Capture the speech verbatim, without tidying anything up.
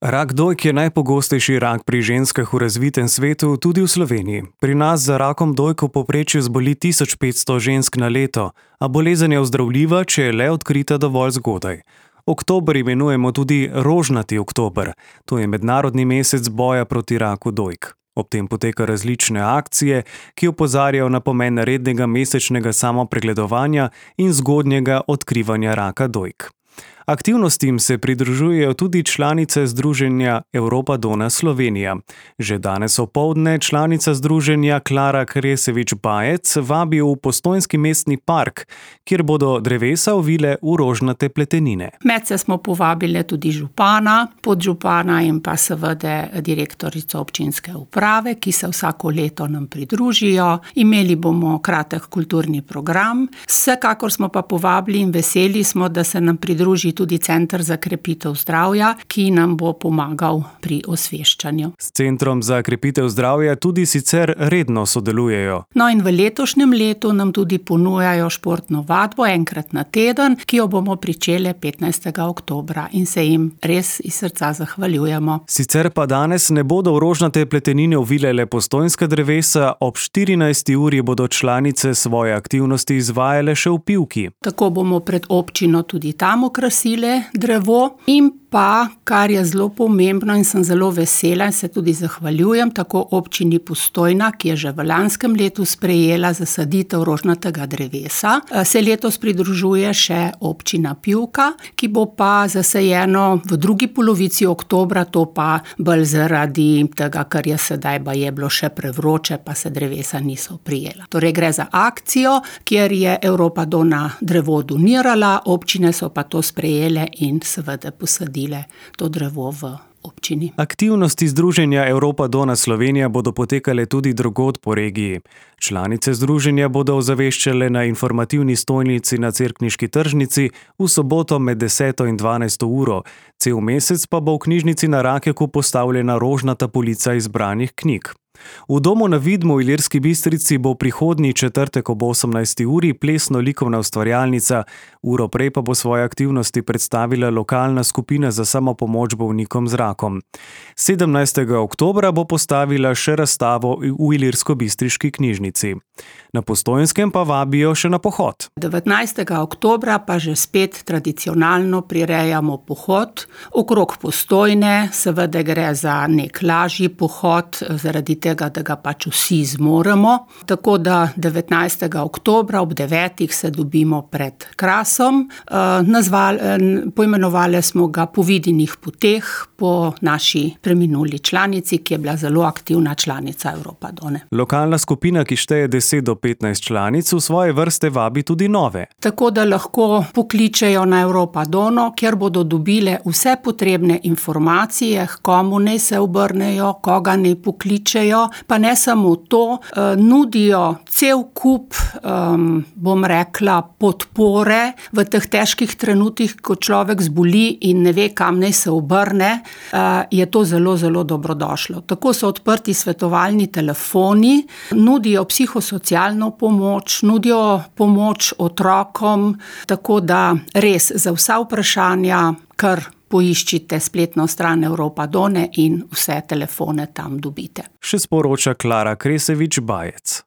Rak dojk je najpogostejši rak pri ženskah v razvitem svetu, tudi v Sloveniji. Pri nas za rakom dojk v povprečju zboli tisoč petsto žensk na leto, a bolezen je ozdravljiva, če je le odkrita dovolj zgodaj. Oktober imenujemo tudi rožnati oktober. To je mednarodni mesec boja proti raku dojk. Ob tem poteka različne akcije, ki opozarjajo na pomen rednega mesečnega samopregledovanja in zgodnjega odkrivanja raka dojk. Aktivnostim se pridružujejo tudi članice Združenja Europa Donna Slovenija. Že danes opoldne članica združenja Klara Kresevič-Bajec vabi v Postojnski mestni park, kjer bodo drevesa ovile v rožnate pletenine. Medse smo povabili tudi župana, podžupana in pa seveda direktorico občinske uprave, ki se vsako leto nam pridružijo. Imeli bomo kratek kulturni program. Vsekakor smo pa povabili in veseli smo, da se nam pridruži tudi Center za krepitev zdravja, ki nam bo pomagal pri osveščanju. S Centrom za krepitev zdravja tudi sicer redno sodelujejo. No in v letošnjem letu nam tudi ponujajo športno vadbo enkrat na teden, ki jo bomo pričeli petnajstega oktobra in se jim res iz srca zahvaljujemo. Sicer pa danes ne bodo v rožnate pletenine ovile le postojnska drevesa, ob štirinajsti uri bodo članice svoje aktivnosti izvajale še v Pivki. Tako bomo pred občino tudi tam okrasili drevo in pa, kar je zelo pomembno in sem zelo vesela in se tudi zahvaljujem, tako občini Postojna, ki je že v lanskem letu sprejela zasaditev rožnatega drevesa, se letos pridružuje še občina Pivka, ki bo pa zasajeno v drugi polovici oktobra, to pa bolj zaradi tega, ker je sedaj baje bilo še prevroče, pa se drevesa niso prijela. Torej gre za akcijo, kjer je Europa Donna drevo donirala, občine so pa to sprejele in seveda posadile to drevo v občini. Aktivnosti Združenja Europa Donna Slovenija bodo potekale tudi drugod po regiji. Članice združenja bodo ozaveščale na informativni stojnici na Cerkniški tržnici v soboto med deseto in dvanajsto uro. Cel mesec pa bo v knjižnici na Rakeku postavljena rožnata polica izbranih knjig. V domu na Vidmu v Ilirski Bistrici bo prihodnji četrtek ob osemnajsti uri plesno-likovna ustvarjalnica, uro prej pa bo svoje aktivnosti predstavila lokalna skupina za samopomoč bolnikom z rakom. sedemnajstega oktobra bo postavila še razstavo v Ilirsko-Bistriški knjižnici. Na Postojnskem pa vabijo še na pohod. devetnajstega oktobra pa že spet tradicionalno prirejamo pohod okrog Postojne, seveda gre za nek lažji pohod, zaradi tega, da ga pač vsi zmoremo. Tako da devetnajstega oktobra ob devetih se dobimo pred Krasom. Nazvali, poimenovali smo ga Po Vidinih poteh, po naši preminuli članici, ki je bila zelo aktivna članica Europa Donne. Lokalna skupina, ki šteje deset do petnajst članic, v svoje vrste vabi tudi nove. Tako da lahko pokličejo na Europa Donno, kjer bodo dobile vse potrebne informacije, komu naj se obrnejo, koga naj pokličejo. Pa ne samo to, nudijo cel kup, um, bom rekla, podpore v teh težkih trenutkih, ko človek zboli in ne ve, kam naj se obrne, uh, je to zelo, zelo dobrodošlo. Tako so odprti svetovalni telefoni, nudijo psihosocialno pomoč, nudijo pomoč otrokom, tako da res za vsa vprašanja, kar poiščite spletno stran Europa Donne in vse telefone tam dobite. Še sporoča Klara Kresevič-Bajec.